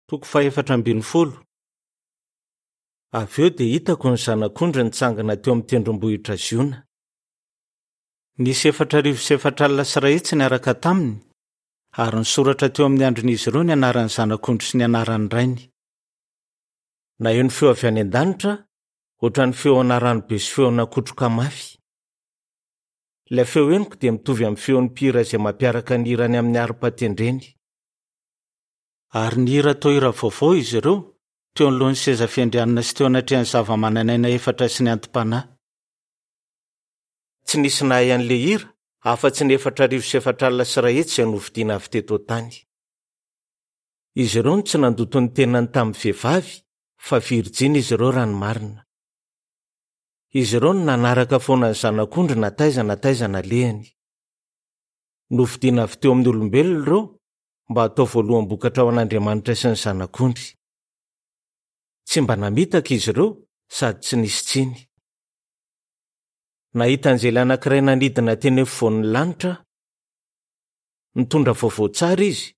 Toko fahefatra ambin'ny folo. Avy eo dia hitako ny Zanak'ondry nitsangana teo amin'ny tendrombohitra Ziona. Nisy 4400 niaraka taminy, ary nisoratra teo amin'ny andrin'izy ireo ny anaran'ny Zanak'ondry sy ny anaran'ny Rainy. Naheno feo avy any an-danitra aho, hoatran'ny feona ranobe sy feona kotroka mafy. Ilay feo henoko dia mitovy amin'ny feon'ny mpihira izay mampiaraka ny hirany amin'ny harpa tendreny. Ary nihira toa hira vaovao izy ireo, teo anoloan'ny seza fiandrianana sy teo anatrehan'ny zavamananaina efatra sy ny anti-panahy. Tsy nisy nahay an'ilay hira, afa-tsy ny 1440 izay novidiana avy teto an-tany. Izy ireo no tsy nandoto ny tenany tamin'ny vehivavy, fa virjiny izy ireo raha ny marina. Izy ireo no nanaraka foana ny Zanak'ondry na taiza na taiza nalehany. Novidiana avy teo amin'ny olombelona ireo, mba hatao voaloham-bokatra ho an'Andriamanitra sy ny Zanak'ondry. Tsy mba namitaka izy ireo sady tsy nisy tsiny. Nahita anjely anankiray nanidina teny afovoan'ny lanitra aho. Nitondra vaovao tsara izy,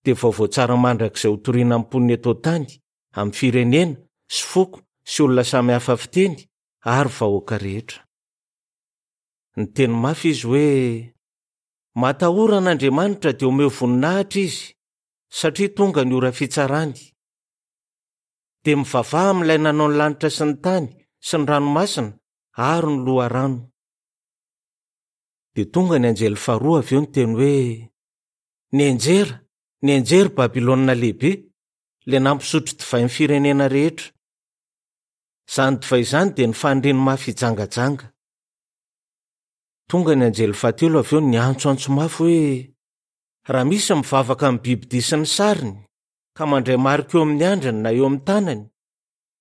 dia vaovao tsara mandrakizay hotorina amin'ny mponina eto an-tany, amin'ny firenena, sy foko, sy olona samy hafa fiteny, ary vahoaka rehetra. Niteny mafy izy hoe, Matahora an'Andriamanitra dia omeo voninahitra Izy, satria tonga ny ora fitsarany. Dia mivavaha amin'Ilay nanao ny lanitra sy ny tany sy ny ranomasina ary ny loharano. Dia tonga ny anjely faharoa avy eo niteny hoe, Nianjera, nianjera i Babylona Lehibe, ilay nampisotro divay ny firenena rehetra. Izany divay izany dia ny faniriany mafy hijangajanga. Tonga ny anjely fahatelo avy eo niantsoantso mafy hoe, Raha misy mivavaka amin'ny bibidia sy ny sariny, ka mandray marika eo amin'ny andriny na eo amin'ny tanany,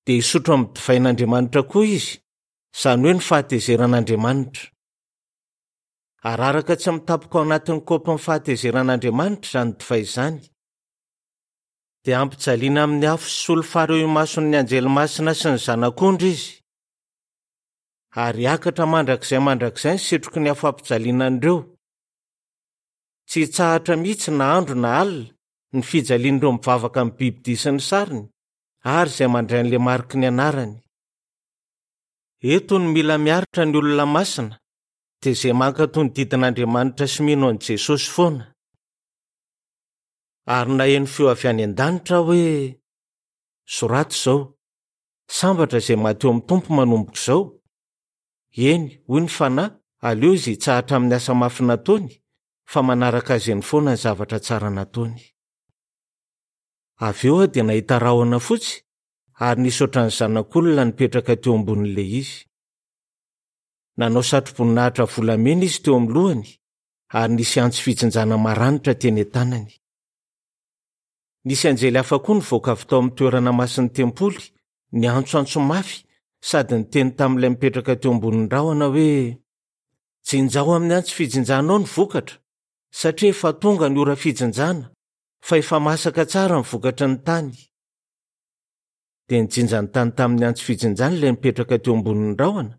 dia hisotro amin'ny divain'Andriamanitra koa izy, izany hoe ny fahatezeran'Andriamanitra. Araraka tsy mitapoka ao anatin'ny kaopin'ny fahatezeran'Andriamanitra izany divay izany. Dia hampijaliana amin'ny afo sy solifara eo imason'ny anjely masina sy ny Zanak'ondry izy. Ary hiakatra mandrakizay mandrakizay ny setroky ny afo hampijaliana an'ireo. Tsy hitsahatra mihitsy na andro na alina ny fijalian'ireo mivavaka amin'ny bibidia sy ny sariny ary izay mandray an'ilay mariky ny anarany. Eto no mila miaritra ny olona masina, dia izay mankatò ny didin'Andriamanitra sy mino an'i Jesosy foana. Ary naheno feo avy any an-danitra aho hoe, Soraty izao, Sambatra izay maty eo amin'ny Tompo manomboka izao. Eny, hoy ny Fanahy, aleo izy hitsahatra amin'ny asa mafy nataony, fa manaraka azy eny foana ny zavatra tsara nataony. Avy eo aho dia nahita rahona fotsy, ary nisy hoatran'ny zanak'olona nipetraka teo ambonin'ilay izy. Nanao satroboninahitra volamena izy teo amin'ny lohany, ary nisy antsy fijinjana maranitra teny an-tanany. Nisy anjely hafa koa nivoaka avy tao amin'ny toerana masin'ny tempoly, niantsoantso mafy sady niteny tamin'ilay mipetraka teo ambonin'ny rahona hoe, Jinjao amin'ny antsy fijinjanao ny vokatra, satria efa tonga ny ora fijinjana, fa efa masaka tsara ny vokatry ny tany. Dia nijinja ny tany tamin'ny antsy fijinjany ilay nipetraka teo ambonin'ny rahona,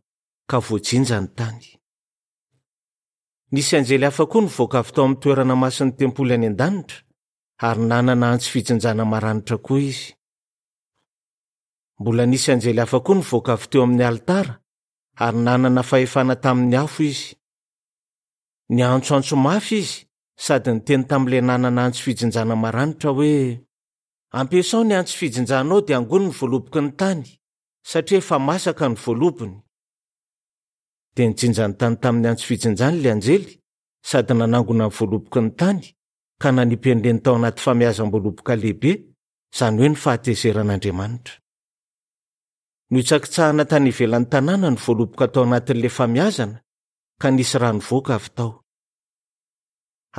ka voajinja ny tany. Nisy anjely hafa koa nivoaka avy tao amin'ny toerana masin'ny tempoly any an-danitra, ary nanana antsy fijinjana maranitra koa izy. Mbola nisy anjely hafa koa nivoaka avy teo amin'ny alitara, ary nanana fahefana tamin'ny afo izy. Niantsoantso mafy izy sady niteny tamin'ilay nanana antsy fijinjana maranitra hoe, Ampiasao ny antsy fijinjanao dia angony ny voaloboky ny tany, satria efa masaka ny voalobony. Dia nijinja ny tany tamin'ny antsy fijinjany ilay anjely sady nanangona ny voaloboky ny tany ka nanipy an'ireny tao anaty famiazam-boaloboka lehibe, izany hoe ny fahatezeran'Andriamanitra. Nohitsakitsahana tany ivelan'ny tanàna ny voaloboka tao anatin'ilay famiazana, ka nisy rà nivoaka avy tao.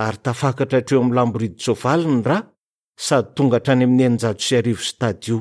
Ary tafakatra hatreo amin'ny lamboridin-tsoavaly ny rà, sady tonga hatrany amin'ny 1600 stadio.